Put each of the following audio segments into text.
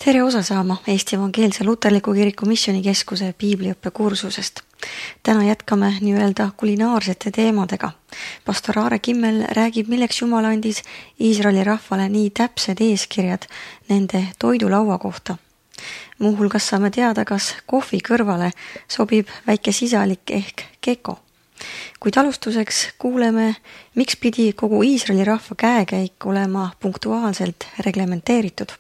Tere osa saama Eesti Evangeelse Luterliku Kiriku Missioonikeskuse piibliõppekursusest. Täna jätkame nii-öelda kulinaarsete teemadega. Pastor Aare Kimmel räägib, milleks Jumal andis Iisraeli rahvale nii täpsed eeskirjad nende toidulaua kohta. Muuhulgas saame teada, kas kohvi kõrvale sobib väike sisalik ehk keko. Kuid alustuseks kuuleme, miks pidi kogu Iisraeli rahva käekäik olema punktuaalselt reglementeeritud.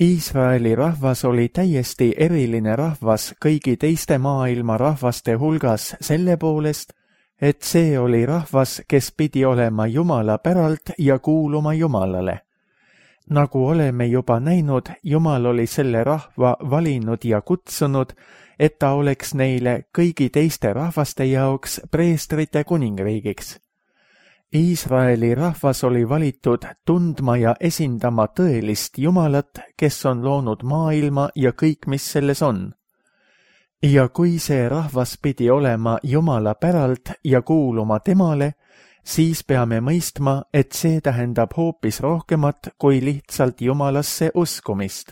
Iisraeli rahvas oli täiesti eriline rahvas kõigi teiste maailma rahvaste hulgas selle poolest, et see oli rahvas, kes pidi olema Jumala päralt ja kuuluma Jumalale. Nagu oleme juba näinud, Jumal oli selle rahva valinud ja kutsunud, et ta oleks neile kõigi teiste rahvaste jaoks preestrite kuningriigiks. Iisraeli rahvas oli valitud tundma ja esindama tõelist Jumalat, kes on loonud maailma ja kõik, mis selles on. Ja kui see rahvas pidi olema Jumala päralt ja kuuluma temale, siis peame mõistma, et see tähendab hoopis rohkemat kui lihtsalt Jumalasse uskumist.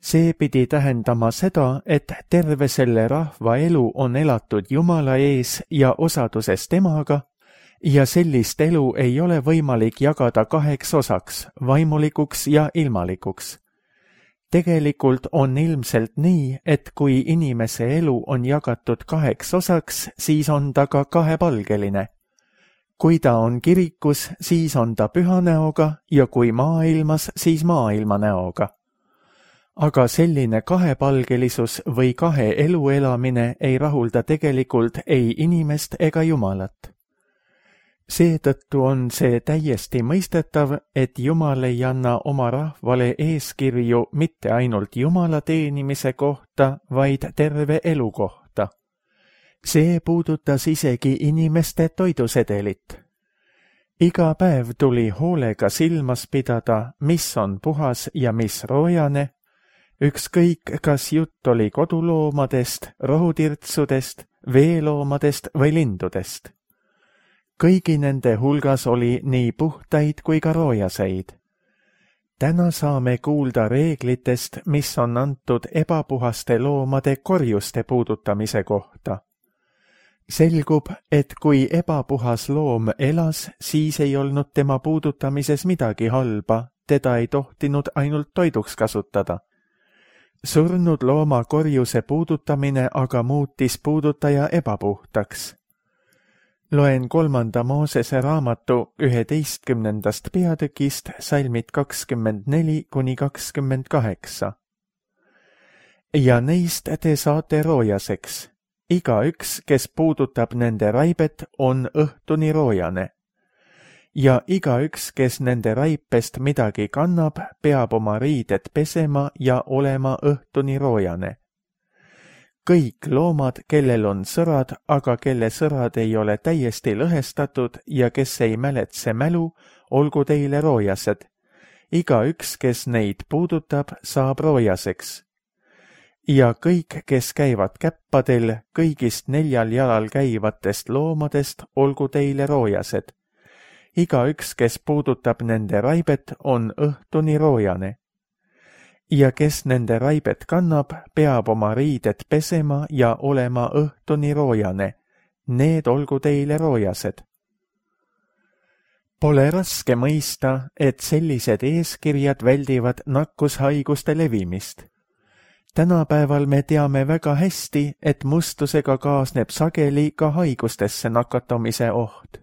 See pidi tähendama seda, et terve selle rahva elu on elatud Jumala ees ja osaduses temaga, ja sellist elu ei ole võimalik jagada kaheks osaks, vaimulikuks ja ilmalikuks. Tegelikult on ilmselt nii, et kui inimese elu on jagatud kaheks osaks, siis on ta ka kahepalgeline. Kui ta on kirikus, siis on ta püha näoga ja kui maailmas, siis maailma näoga. Aga selline kahepalgelisus või kahe elu elamine ei rahulda tegelikult ei inimest ega Jumalat. Seetõttu on see täiesti mõistetav, et Jumal ei anna oma rahvale eeskirju mitte ainult Jumala teenimise kohta, vaid terve elu kohta. See puudutas isegi inimeste toidusedelit. Iga päev tuli hoolega silmas pidada, mis on puhas ja mis roojane, ükskõik kas jutt oli koduloomadest, rohutirtsudest, veeloomadest või lindudest. Kõigi nende hulgas oli nii puhtaid kui ka roojaseid. Täna saame kuulda reeglitest, mis on antud ebapuhaste loomade korjuste puudutamise kohta. Selgub, et kui ebapuhas loom elas, siis ei olnud tema puudutamises midagi halba, teda ei tohtinud ainult toiduks kasutada. Surnud looma korjuse puudutamine aga muutis puudutaja ebapuhtaks. Loen 3. Moosese raamatu 11. peatükist salmid 24–28. Ja neist te saate roojaseks. Igaüks, kes puudutab nende raibet, on õhtuni roojane. Ja igaüks, kes nende raipest midagi kannab, peab oma riided pesema ja olema õhtuni roojane. Kõik loomad, kellel on sõrad, aga kelle sõrad ei ole täiesti lõhestatud ja kes ei mäletse mälu, olgu teile roojased. Igaüks, kes neid puudutab, saab roojaseks. Ja kõik, kes käivad käppadel, kõigist 4 jalal käivatest loomadest, olgu teile roojased. Igaüks, kes puudutab nende raibet, on õhtuni roojane. Ja kes nende raibet kannab, peab oma riided pesema ja olema õhtuni roojane. Need olgu teile roojased. Pole raske mõista, et sellised eeskirjad väldivad nakkushaiguste levimist. Tänapäeval me teame väga hästi, et mustusega kaasneb sageli ka haigustesse nakatumise oht.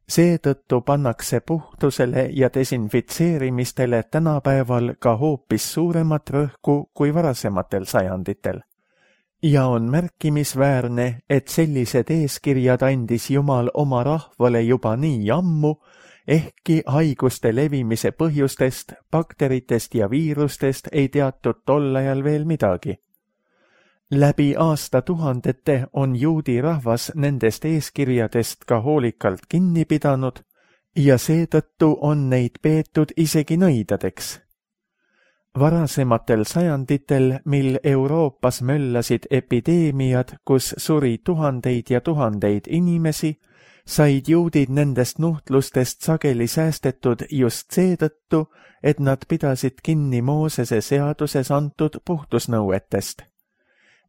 Seetõttu pannakse puhtusele ja desinfitseerimistele tänapäeval ka hoopis suuremat rõhku kui varasematel sajanditel. Ja on märkimisväärne, et sellised eeskirjad andis Jumal oma rahvale juba nii ammu, ehkki haiguste levimise põhjustest, bakteritest ja viirustest ei teatud tol ajal veel midagi. Läbi aastatuhandete on juudi rahvas nendest eeskirjadest ka hoolikalt kinni pidanud ja seetõttu on neid peetud isegi nõidadeks. Varasematel sajanditel, mil Euroopas möllasid epideemiad, kus suri tuhandeid ja tuhandeid inimesi, said juudid nendest nuhtlustest sageli säästetud just seetõttu, et nad pidasid kinni Moosese seaduses antud puhtusnõuetest.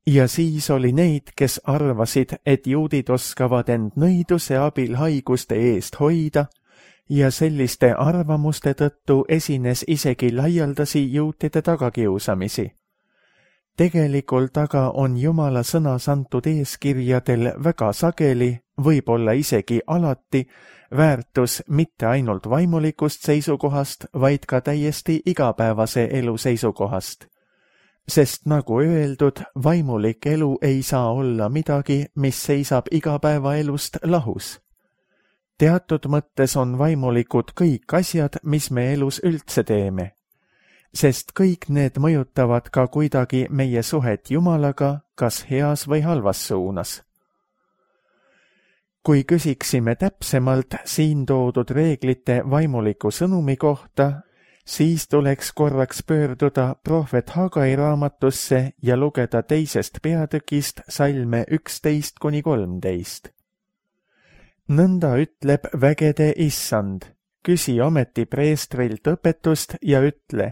Ja siis oli neid, kes arvasid, et juudid oskavad end nõiduse abil haiguste eest hoida, ja selliste arvamuste tõttu esines isegi laialdasi juutide tagakiusamisi. Tegelikult aga on Jumala sõnas antud eeskirjadel väga sageli, võib-olla isegi alati, väärtus mitte ainult vaimulikust seisukohast, vaid ka täiesti igapäevase elu seisukohast. Sest nagu öeldud, vaimulik elu ei saa olla midagi, mis seisab igapäevaelust lahus. Teatud mõttes on vaimulikud kõik asjad, mis me elus üldse teeme. Sest kõik need mõjutavad ka kuidagi meie suhet Jumalaga, kas heas või halvas suunas. Kui küsiksime täpsemalt siin toodud reeglite vaimuliku sõnumi kohta, siis tuleks korraks pöörduda prohvet Hagai raamatusse ja lugeda 2. peatükist salme 11-13. Nõnda ütleb vägede issand, küsi ometi preestrilt õpetust ja ütle,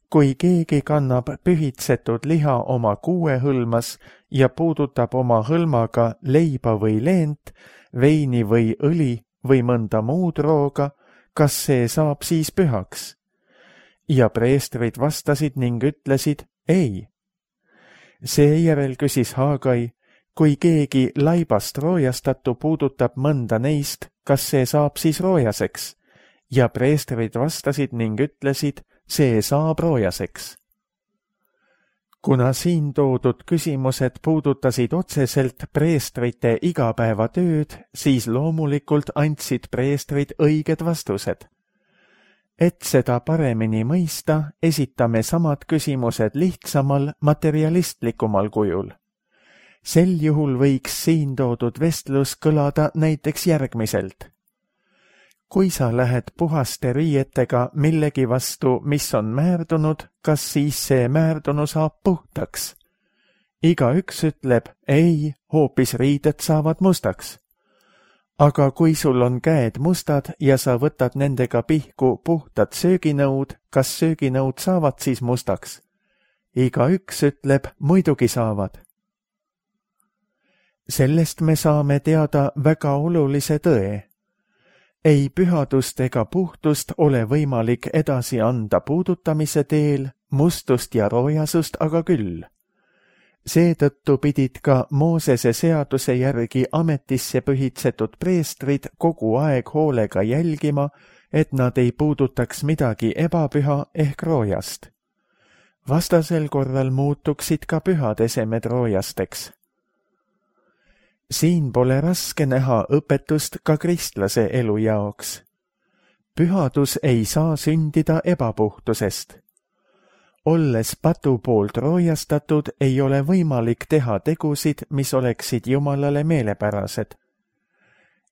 kui keegi kannab pühitsetud liha oma kuuehõlmas ja puudutab oma hõlmaga leiba või leent, veini või õli või mõnda muud rooga, kas see saab siis pühaks? Ja preestrid vastasid ning ütlesid, ei. Seejärel küsis Hagai, kui keegi laibast roojastatu puudutab mõnda neist, kas see saab siis roojaseks? Ja preestrid vastasid ning ütlesid, see saab roojaseks. Kuna siin toodud küsimused puudutasid otseselt preestrite igapäevatööd, siis loomulikult andsid preestrid õiged vastused. Et seda paremini mõista, esitame samad küsimused lihtsamal, materialistlikumal kujul. Sel juhul võiks siin toodud vestlus kõlada näiteks järgmiselt. Kui sa lähed puhaste riietega millegi vastu, mis on määrdunud, kas siis see määrdunu saab puhtaks? Igaüks ütleb, ei, hoopis riided saavad mustaks. Aga kui sul on käed mustad ja sa võtad nendega pihku puhtad sööginõud, kas sööginõud saavad siis mustaks? Igaüks ütleb, muidugi saavad. Sellest me saame teada väga olulise tõe. Ei pühadust ega puhtust ole võimalik edasi anda puudutamise teel, mustust ja roojasust aga küll. Seetõttu pidid ka Moosese seaduse järgi ametisse pühitsetud preestrid kogu aeg hoolega jälgima, et nad ei puudutaks midagi ebapüha ehk roojast. Vastasel korral muutuksid ka pühad esemed roojasteks. Siin pole raske näha õpetust ka kristlase elu jaoks. Pühadus ei saa sündida ebapuhtusest. Olles patu poolt roojastatud, ei ole võimalik teha tegusid, mis oleksid Jumalale meelepärased.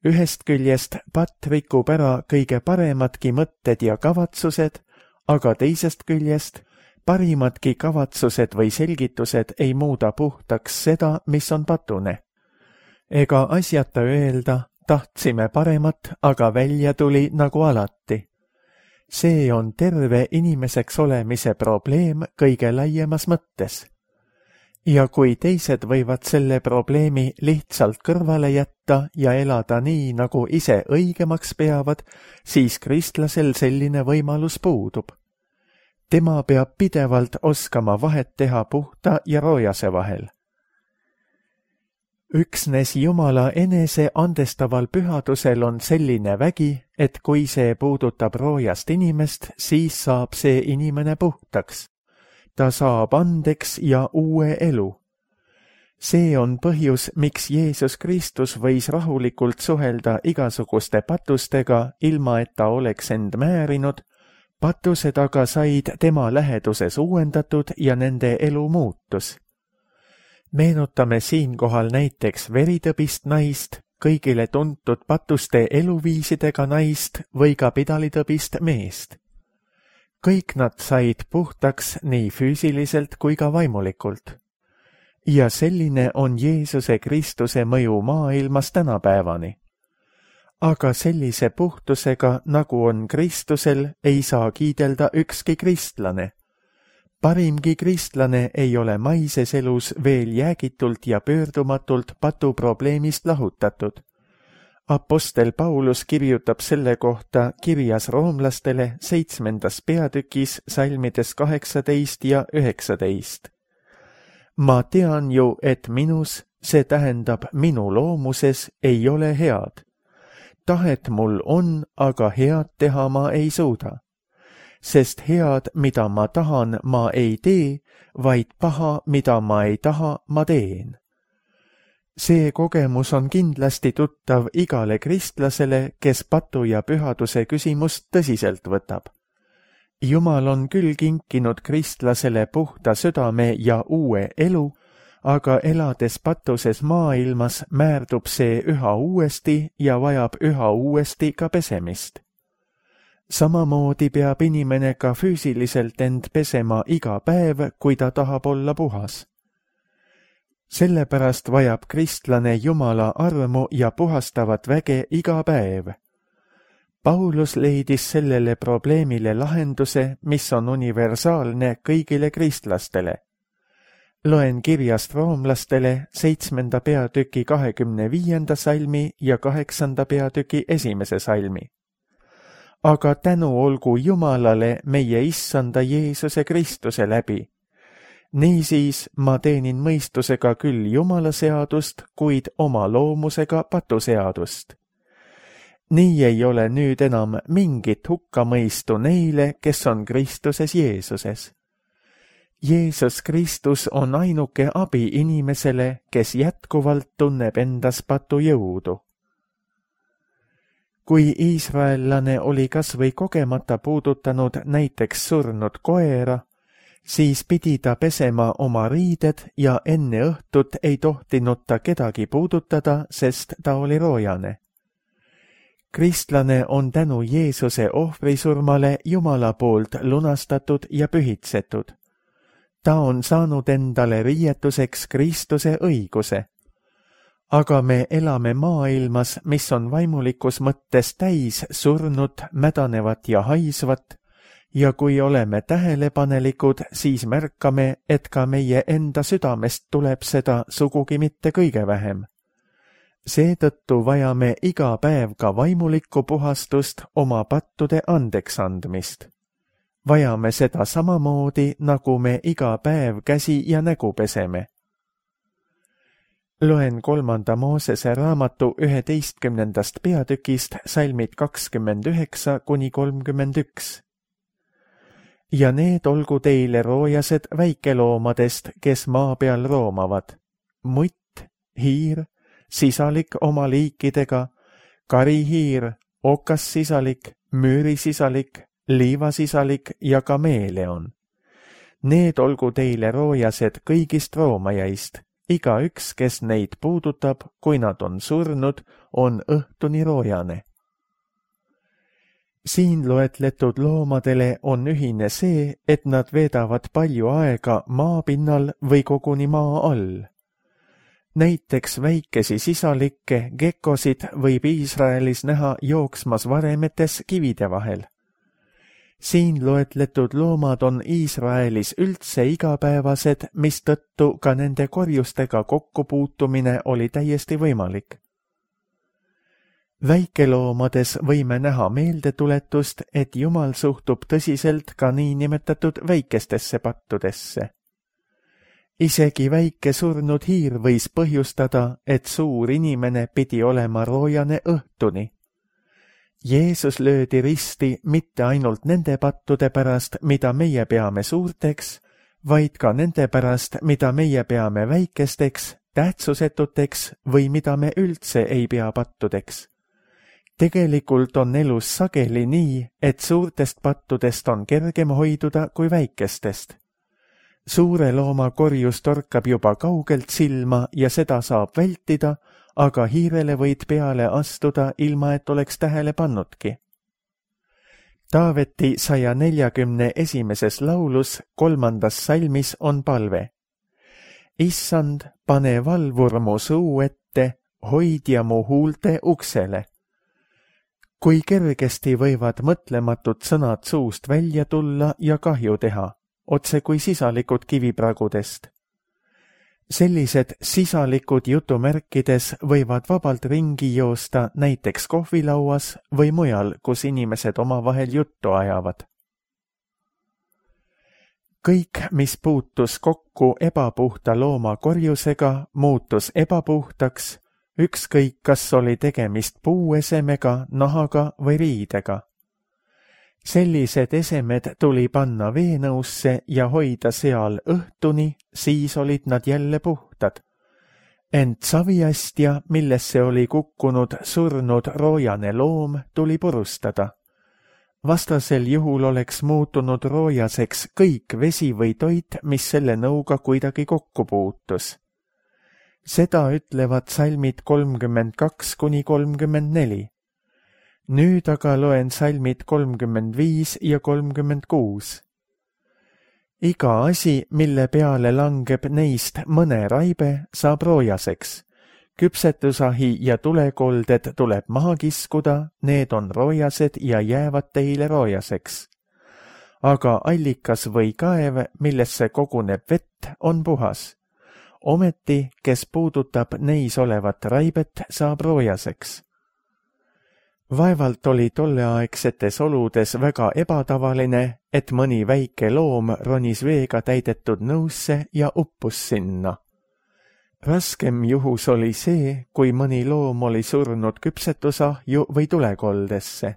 Ühest küljest patt rikub ära kõige paremadki mõtted ja kavatsused, aga teisest küljest parimadki kavatsused või selgitused ei muuda puhtaks seda, mis on patune. Ega asjata öelda, tahtsime paremat, aga välja tuli nagu alati. See on terve inimeseks olemise probleem kõige laiemas mõttes. Ja kui teised võivad selle probleemi lihtsalt kõrvale jätta ja elada nii, nagu ise õigemaks peavad, siis kristlasel selline võimalus puudub. Tema peab pidevalt oskama vahet teha puhta ja roojase vahel. Üksnes Jumala enese andestaval pühadusel on selline vägi, et kui see puudutab roojast inimest, siis saab see inimene puhtaks. Ta saab andeks ja uue elu. See on põhjus, miks Jeesus Kristus võis rahulikult suhelda igasuguste patustega, ilma et ta oleks end määrinud. Patused aga said tema läheduses uuendatud ja nende elu muutus. Meenutame siinkohal näiteks veritõbist naist, kõigile tuntud patuste eluviisidega naist või ka pidalitõbist meest. Kõik nad said puhtaks nii füüsiliselt kui ka vaimulikult. Ja selline on Jeesuse Kristuse mõju maailmas tänapäevani. aga sellise puhtusega, nagu on Kristusel, ei saa kiidelda ükski kristlane. Parimgi kristlane ei ole maises elus veel jäägitult ja pöördumatult patuprobleemist lahutatud. Apostel Paulus kirjutab selle kohta kirjas roomlastele 7. peatükis salmides 18 ja 19. Ma tean ju, et minus, see tähendab minu loomuses, ei ole head. Tahet mul on, aga head teha ma ei suuda. Sest head, mida ma tahan, ma ei tee, vaid paha, mida ma ei taha, ma teen. See kogemus on kindlasti tuttav igale kristlasele, kes patu ja pühaduse küsimust tõsiselt võtab. Jumal on küll kinkinud kristlasele puhta südame ja uue elu, aga elades patuses maailmas määrdub see üha uuesti ja vajab üha uuesti ka pesemist. Samamoodi peab inimene ka füüsiliselt end pesema iga päev, kui ta tahab olla puhas. Sellepärast vajab kristlane Jumala armu ja puhastavat väge iga päev. Paulus leidis sellele probleemile lahenduse, mis on universaalne kõigile kristlastele. Loen kirjast roomlastele 7. peatüki 25. salmi ja 8. peatüki 1. salmi. Aga tänu olgu Jumalale meie Issanda Jeesuse Kristuse läbi. Niisiis ma teenin mõistusega küll Jumala seadust, kuid oma loomusega patuseadust. Nii ei ole nüüd enam mingit hukkamõistu neile, kes on Kristuses Jeesuses. Jeesus Kristus on ainuke abi inimesele, kes jätkuvalt tunneb endas patujõudu. Kui iisraellane oli kas või kogemata puudutanud näiteks surnud koera, siis pidi ta pesema oma riided ja enne õhtut ei tohtinud ta kedagi puudutada, sest ta oli roojane. Kristlane on tänu Jeesuse ohvrisurmale Jumala poolt lunastatud ja pühitsetud. Ta on saanud endale riietuseks Kristuse õiguse. Aga me elame maailmas, mis on vaimulikus mõttes täis surnud, mädanevat ja haisvat, ja kui oleme tähelepanelikud, siis märkame, et ka meie enda südamest tuleb seda sugugi mitte kõige vähem. Seetõttu vajame iga päev ka vaimulikku puhastust, oma pattude andeks andmist. Vajame seda samamoodi, nagu me iga päev käsi ja nägu peseme. Loen 3. Moosese raamatu 11. peatükist salmid 29–31. Ja need olgu teile roojased väikeloomadest, kes maa peal roomavad. Mutt, hiir, sisalik oma liikidega, karihiir, okassisalik, müürisisalik, liivasisalik ja kameeleon. Need olgu teile roojased kõigist roomajaist. Igaüks, kes neid puudutab, kui nad on surnud, on õhtuni roojane. Siin loetletud loomadele on ühine see, et nad veedavad palju aega maapinnal või koguni maa all. Näiteks väikesi sisalikke, gekkosid võib Iisraelis näha jooksmas varemetes kivide vahel. Siin loetletud loomad on Iisraelis üldse igapäevased, mistõttu ka nende korjustega kokkupuutumine oli täiesti võimalik. Väikeloomades võime näha meeldetuletust, et Jumal suhtub tõsiselt ka niinimetatud väikestesse pattudesse. Isegi väike surnud hiir võis põhjustada, et suur inimene pidi olema roojane õhtuni. Jeesus löödi risti mitte ainult nende pattude pärast, mida meie peame suurteks, vaid ka nende pärast, mida meie peame väikesteks, tähtsusetuteks või mida me üldse ei pea pattudeks. Tegelikult on elus sageli nii, et suurtest pattudest on kergem hoiduda kui väikestest. Suure looma korjus torkab juba kaugelt silma ja seda saab vältida, aga hiirele võid peale astuda, ilma et oleks tähele pannudki. Taaveti 141. laulus 3. salmis on palve. Issand, pane valvur mu suu ette, hoidja mu huulte uksele. kui kergesti võivad mõtlematud sõnad suust välja tulla ja kahju teha, otse kui sisalikud kivipragudest. Sellised sisalikud jutumärkides võivad vabalt ringi joosta näiteks kohvilauas või mujal, kus inimesed omavahel juttu ajavad. Kõik, mis puutus kokku ebapuhta looma korjusega, muutus ebapuhtaks, ükskõik kas oli tegemist puuesemega, nahaga või riidega. Sellised esemed tuli panna veenõusse ja hoida seal õhtuni, siis olid nad jälle puhtad. Ent saviastja, millesse oli kukkunud surnud roojane loom, tuli purustada. Vastasel juhul oleks muutunud roojaseks kõik vesi või toit, mis selle nõuga kuidagi kokku puutus. Seda ütlevad salmid 32–34. Nüüd aga loen salmid 35 ja 36. Iga asi, mille peale langeb neist mõne raibe, saab roojaseks. Küpsetusahi ja tulekolded tuleb maha kiskuda, need on roojased ja jäävad teile roojaseks. Aga allikas või kaev, millesse koguneb vett, on puhas. Ometi, kes puudutab neis olevat raibet, saab roojaseks. Vaevalt oli tolleaegsetes oludes väga ebatavaline, et mõni väike loom ronis veega täidetud nõusse ja uppus sinna. Raskem juhus oli see, kui mõni loom oli surnud küpsetusahju või tulekoldesse.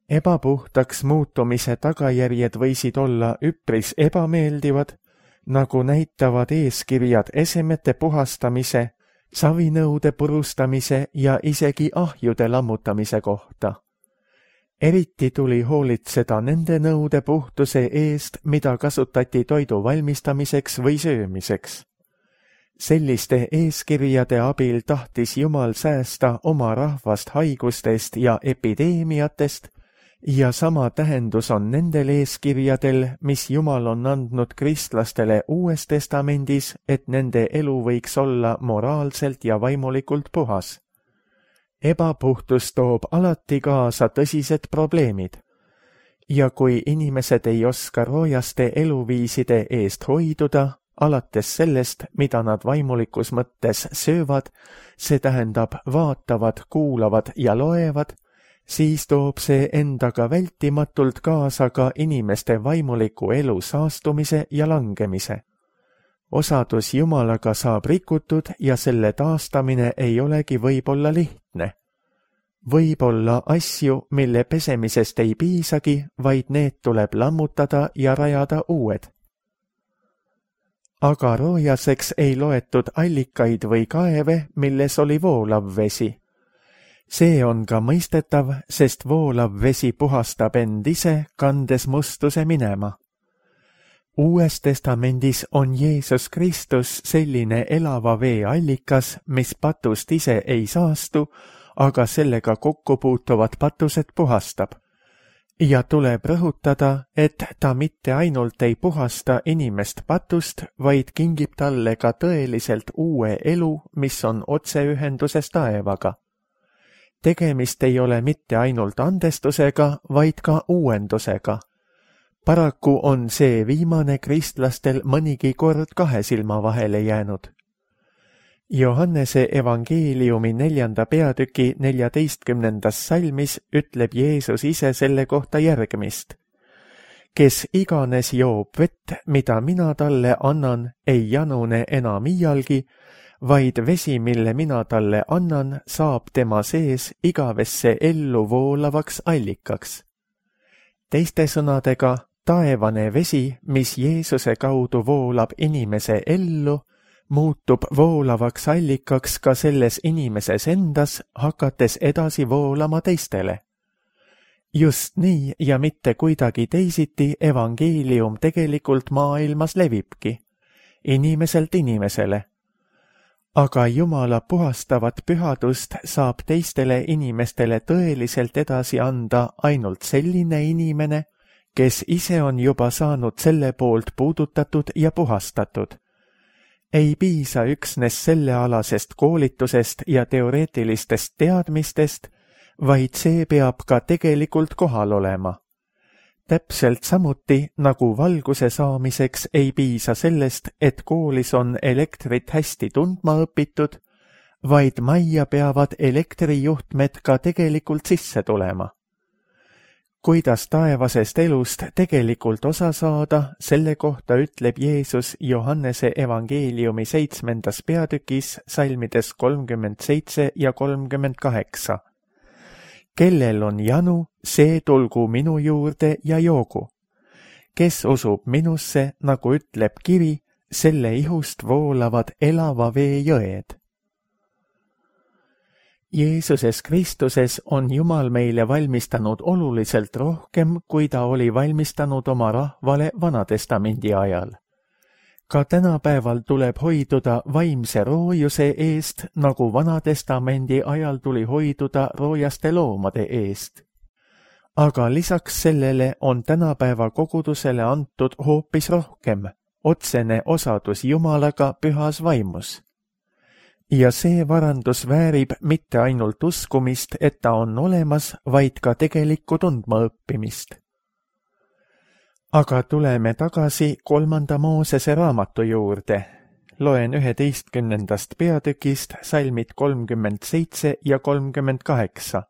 Ebapuhtaks muutumise tagajärjed võisid olla üpris ebameeldivad, nagu näitavad eeskirjad esemete puhastamise, savinõude purustamise ja isegi ahjude lammutamise kohta. Eriti tuli hoolitseda nende nõude puhtuse eest, mida kasutati toidu valmistamiseks või söömiseks. Selliste eeskirjade abil tahtis Jumal säästa oma rahvast haigustest ja epideemiatest, ja sama tähendus on nendel eeskirjadel, mis Jumal on andnud kristlastele Uues Testamendis, et nende elu võiks olla moraalselt ja vaimulikult puhas. Ebapuhtus toob alati kaasa tõsised probleemid. Ja kui inimesed ei oska roojaste eluviiside eest hoiduda, alates sellest, mida nad vaimulikus mõttes söövad, see tähendab vaatavad, kuulavad ja loevad, siis toob see endaga vältimatult kaasa ka inimeste vaimuliku elu saastumise ja langemise. Osadus Jumalaga saab rikutud ja selle taastamine ei olegi võib-olla lihtne. Võib olla asju, mille pesemisest ei piisagi, vaid need tuleb lammutada ja rajada uued. Aga roojaseks ei loetud allikaid või kaeve, milles oli voolav vesi. See on ka mõistetav, sest voolav vesi puhastab end ise, kandes mustuse minema. Uues Testamendis on Jeesus Kristus selline elava vee allikas, mis patust ise ei saastu, aga sellega kokku puutuvad patused puhastab. Ja tuleb rõhutada, et ta mitte ainult ei puhasta inimest patust, vaid kingib talle ka tõeliselt uue elu, mis on otseühenduses taevaga. Tegemist ei ole mitte ainult andestusega, vaid ka uuendusega. Paraku on see viimane kristlastel mõnigi kord kahe silma vahele jäänud. Johannese evangeeliumi 4. peatüki 14. salmis ütleb Jeesus ise selle kohta järgmist. Kes iganes joob vett, mida mina talle annan, ei janune enam iialgi, vaid vesi, mille mina talle annan, saab tema sees igavesse ellu voolavaks allikaks. Teiste sõnadega, taevane vesi, mis Jeesuse kaudu voolab inimese ellu, muutub voolavaks allikaks ka selles inimeses endas, hakates edasi voolama teistele. Just nii ja mitte kuidagi teisiti evangeelium tegelikult maailmas levibki, inimeselt inimesele. Aga Jumala puhastavat pühadust saab teistele inimestele tõeliselt edasi anda ainult selline inimene, kes ise on juba saanud selle poolt puudutatud ja puhastatud. Ei piisa üksnes sellealasest koolitusest ja teoreetilistest teadmistest, vaid see peab ka tegelikult kohal olema. Täpselt samuti, nagu valguse saamiseks ei piisa sellest, et koolis on elektrit hästi tundma õpitud, vaid majja peavad elektrijuhtmed ka tegelikult sisse tulema. Kuidas taevasest elust tegelikult osa saada, selle kohta ütleb Jeesus Johannese evangeeliumi 7. peatükis salmides 37 ja 38. Kellel on janu, see tulgu minu juurde ja joogu. Kes usub minusse, nagu ütleb kiri, selle ihust voolavad elava vee jõed. Jeesuses Kristuses on Jumal meile valmistanud oluliselt rohkem, kui ta oli valmistanud oma rahvale Vanatestamendi ajal. Ka tänapäeval tuleb hoiduda vaimse roojuse eest, nagu Vanatestamendi ajal tuli hoiduda roojaste loomade eest. Aga lisaks sellele on tänapäeva kogudusele antud hoopis rohkem, otsene osadus Jumalaga pühas vaimus. Ja see varandus väärib mitte ainult uskumist, et ta on olemas, vaid ka tegelikku tundmaõppimist. Aga tuleme tagasi 3. Moosese raamatu juurde. Loen 11. peatükist salmid 37 ja 38.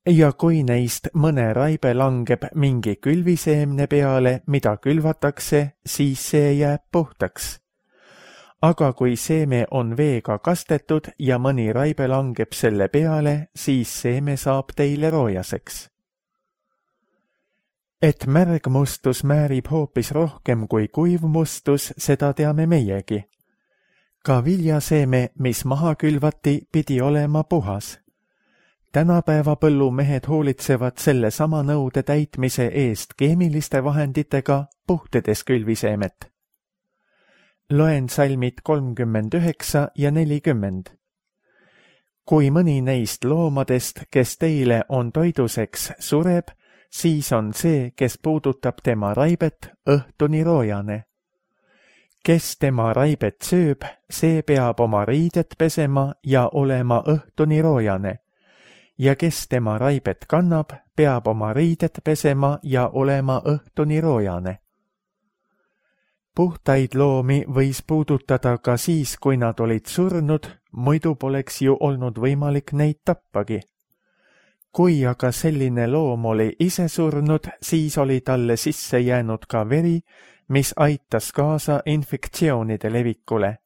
Ja kui neist mõne raibe langeb mingi külviseemne peale, mida külvatakse, siis see jääb puhtaks. Aga kui seeme on veega kastetud ja mõni raibe langeb selle peale, siis seeme saab teile roojaseks. Et märgmustus määrib hoopis rohkem kui kuivmustus, seda teame meiegi. Ka viljaseeme, mis maha külvati, pidi olema puhas. Tänapäeva põllumehed hoolitsevad selle sama nõude täitmise eest keemiliste vahenditega, puhtedes külviseemet. Loen salmid 39 ja 40. Kui mõni neist loomadest, kes teile on toiduseks, sureb, siis on see, kes puudutab tema raibet, õhtuni roojane. Kes tema raibet sööb, see peab oma riidet pesema ja olema õhtuni roojane. Ja kes tema raibet kannab, peab oma riidet pesema ja olema õhtuni roojane. Puhtaid loomi võis puudutada ka siis, kui nad olid surnud, muidu poleks ju olnud võimalik neid tappagi. Kui aga selline loom oli ise surnud, siis oli talle sisse jäänud ka veri, mis aitas kaasa infektsioonide levikule.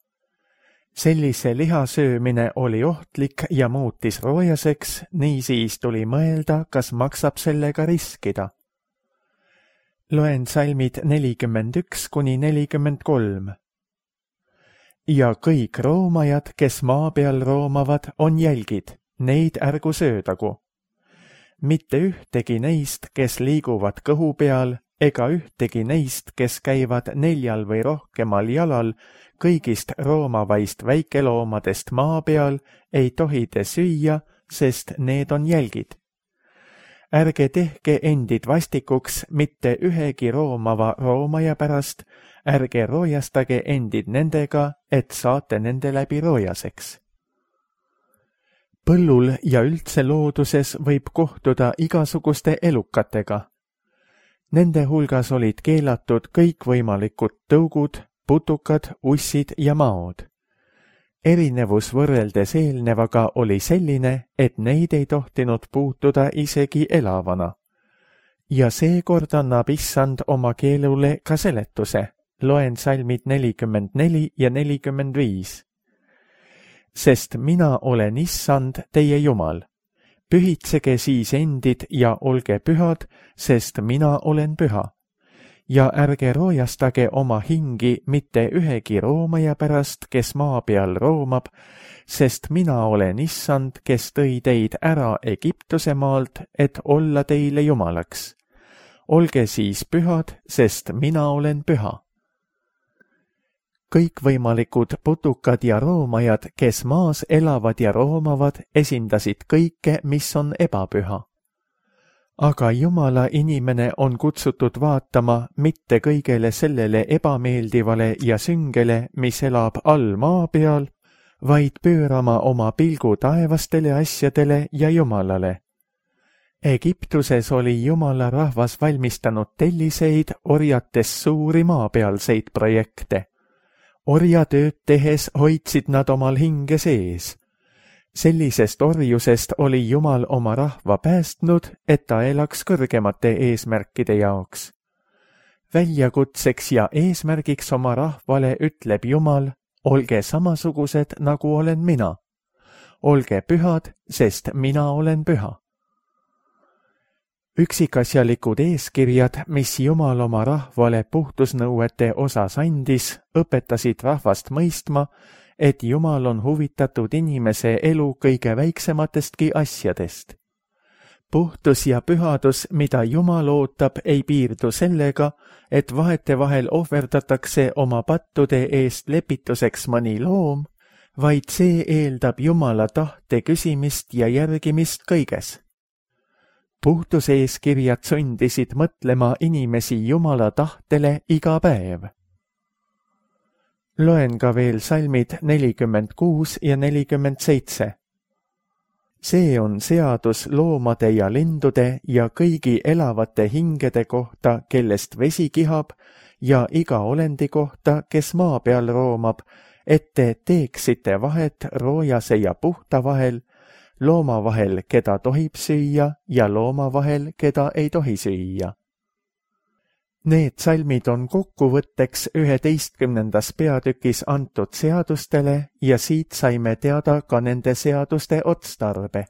Sellise liha söömine oli ohtlik ja muutis roojaseks, niisiis tuli mõelda, kas maksab sellega riskida. Loen salmid 41 kuni 43. Ja kõik roomajad, kes maa peal roomavad, on jälgid, neid ärgu söödagu. Mitte ühtegi neist, kes liiguvad kõhu peal, ega ühtegi neist, kes käivad 4 või rohkemal jalal, kõigist roomavaist väikeloomadest maa peal, ei tohi te süüa, sest need on jälgid. Ärge tehke endid vastikuks mitte ühegi roomava roomaja pärast, ärge roojastage endid nendega, et saate nende läbi roojaseks. Põllul ja üldse looduses võib kohtuda igasuguste elukatega. Nende hulgas olid keelatud kõikvõimalikud tõugud, putukad, ussid ja maod. Erinevus võrreldes eelnevaga oli selline, et neid ei tohtinud puutuda isegi elavana. Ja seekord annab issand oma keelule ka seletuse. Loen salmid 44 ja 45. Sest mina olen issand teie Jumal. Pühitsege siis endid ja olge pühad, sest mina olen püha. Ja ärge roojastage oma hingi mitte ühegi roomaja pärast, kes maa peal roomab, sest mina olen issand, kes tõi teid ära Egiptuse maalt, et olla teile Jumalaks. Olge siis pühad, sest mina olen püha. Kõikvõimalikud putukad ja roomajad, kes maas elavad ja roomavad, esindasid kõike, mis on ebapüha. Aga Jumala inimene on kutsutud vaatama mitte kõigele sellele ebameeldivale ja süngele, mis elab all maa peal, vaid pöörama oma pilgu taevastele asjadele ja Jumalale. Egiptuses oli Jumala rahvas valmistanud telliseid orjates suuri maapealseid projekte. Orjatööd tehes hoidsid nad omal hinge sees. Sellisest orjusest oli Jumal oma rahva päästnud, et ta elaks kõrgemate eesmärkide jaoks. Väljakutseks ja eesmärgiks oma rahvale ütleb Jumal, olge samasugused, nagu olen mina. Olge pühad, sest mina olen püha. Üksikasjalikud eeskirjad, mis Jumal oma rahvale puhtusnõuete osas andis, õpetasid rahvast mõistma, et Jumal on huvitatud inimese elu kõige väiksematestki asjadest. Puhtus ja pühadus, mida Jumal ootab, ei piirdu sellega, et vahetevahel ohverdatakse oma pattude eest lepituseks mõni loom, vaid see eeldab Jumala tahte küsimist ja järgimist kõiges. Puhtuseeskirjad sundisid mõtlema inimesi Jumala tahtele iga päev. Loen ka veel salmid 46 ja 47. See on seadus loomade ja lindude ja kõigi elavate hingede kohta, kellest vesi kihab, ja iga olendi kohta, kes maa peal roomab, et te teeksite vahet roojase ja puhta vahel, looma vahel, keda tohib süüa, ja looma vahel, keda ei tohi süüa. Need salmid on kokkuvõtteks 11. peatükis antud seadustele ja siit saime teada ka nende seaduste otstarbe.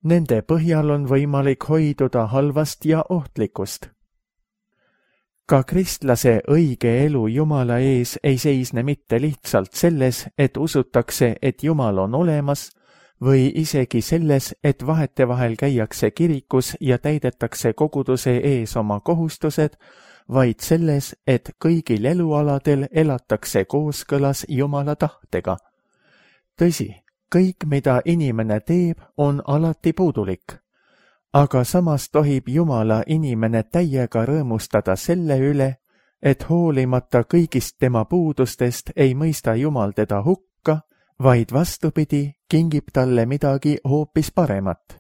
Nende põhjal on võimalik hoiduda halvast ja ohtlikust. Ka kristlase õige elu Jumala ees ei seisne mitte lihtsalt selles, et usutakse, et Jumal on olemas, või isegi selles, et vahetevahel käiakse kirikus ja täidetakse koguduse ees oma kohustused, vaid selles, et kõigil elualadel elatakse kooskõlas Jumala tahtega. Tõsi, kõik, mida inimene teeb, on alati puudulik. Aga samas tohib Jumala inimene täiega rõõmustada selle üle, et hoolimata kõigist tema puudustest ei mõista Jumal teda hukka, vaid vastupidi, kingib talle midagi hoopis paremat.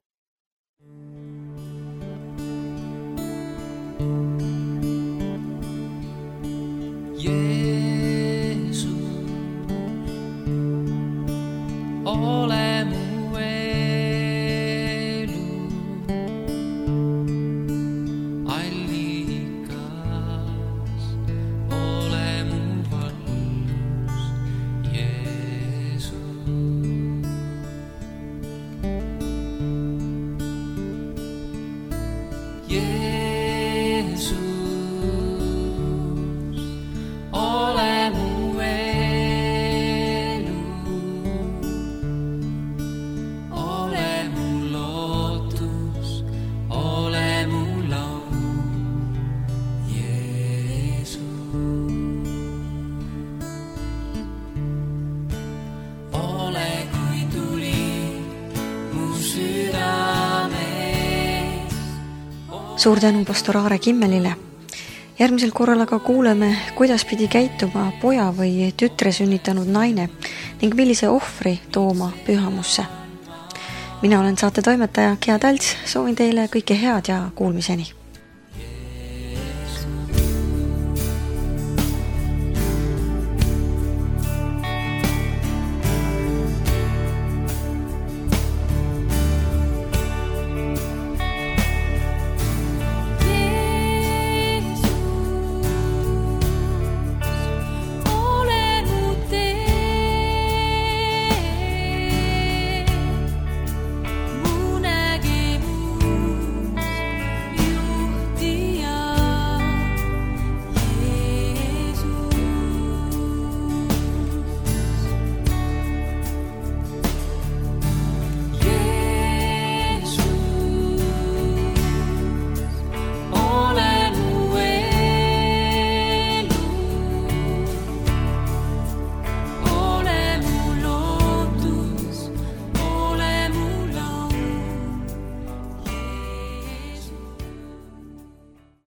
Jeesus, ole mu elu allikas, ole mu valgus, Jeesus. Jeesus, ole mu elu, ole mu lootus, ole mu laul, Jeesus. Ole kui tuli mu südames. Suur tänu pastor Aare Kimmelile. Järgmisel korral aga kuuleme, kuidas pidi käituma poja või tütre sünnitanud naine ning millise ohvri tooma pühamusse. Mina olen saate toimetaja Gea Talts, soovin teile kõike head ja kuulmiseni.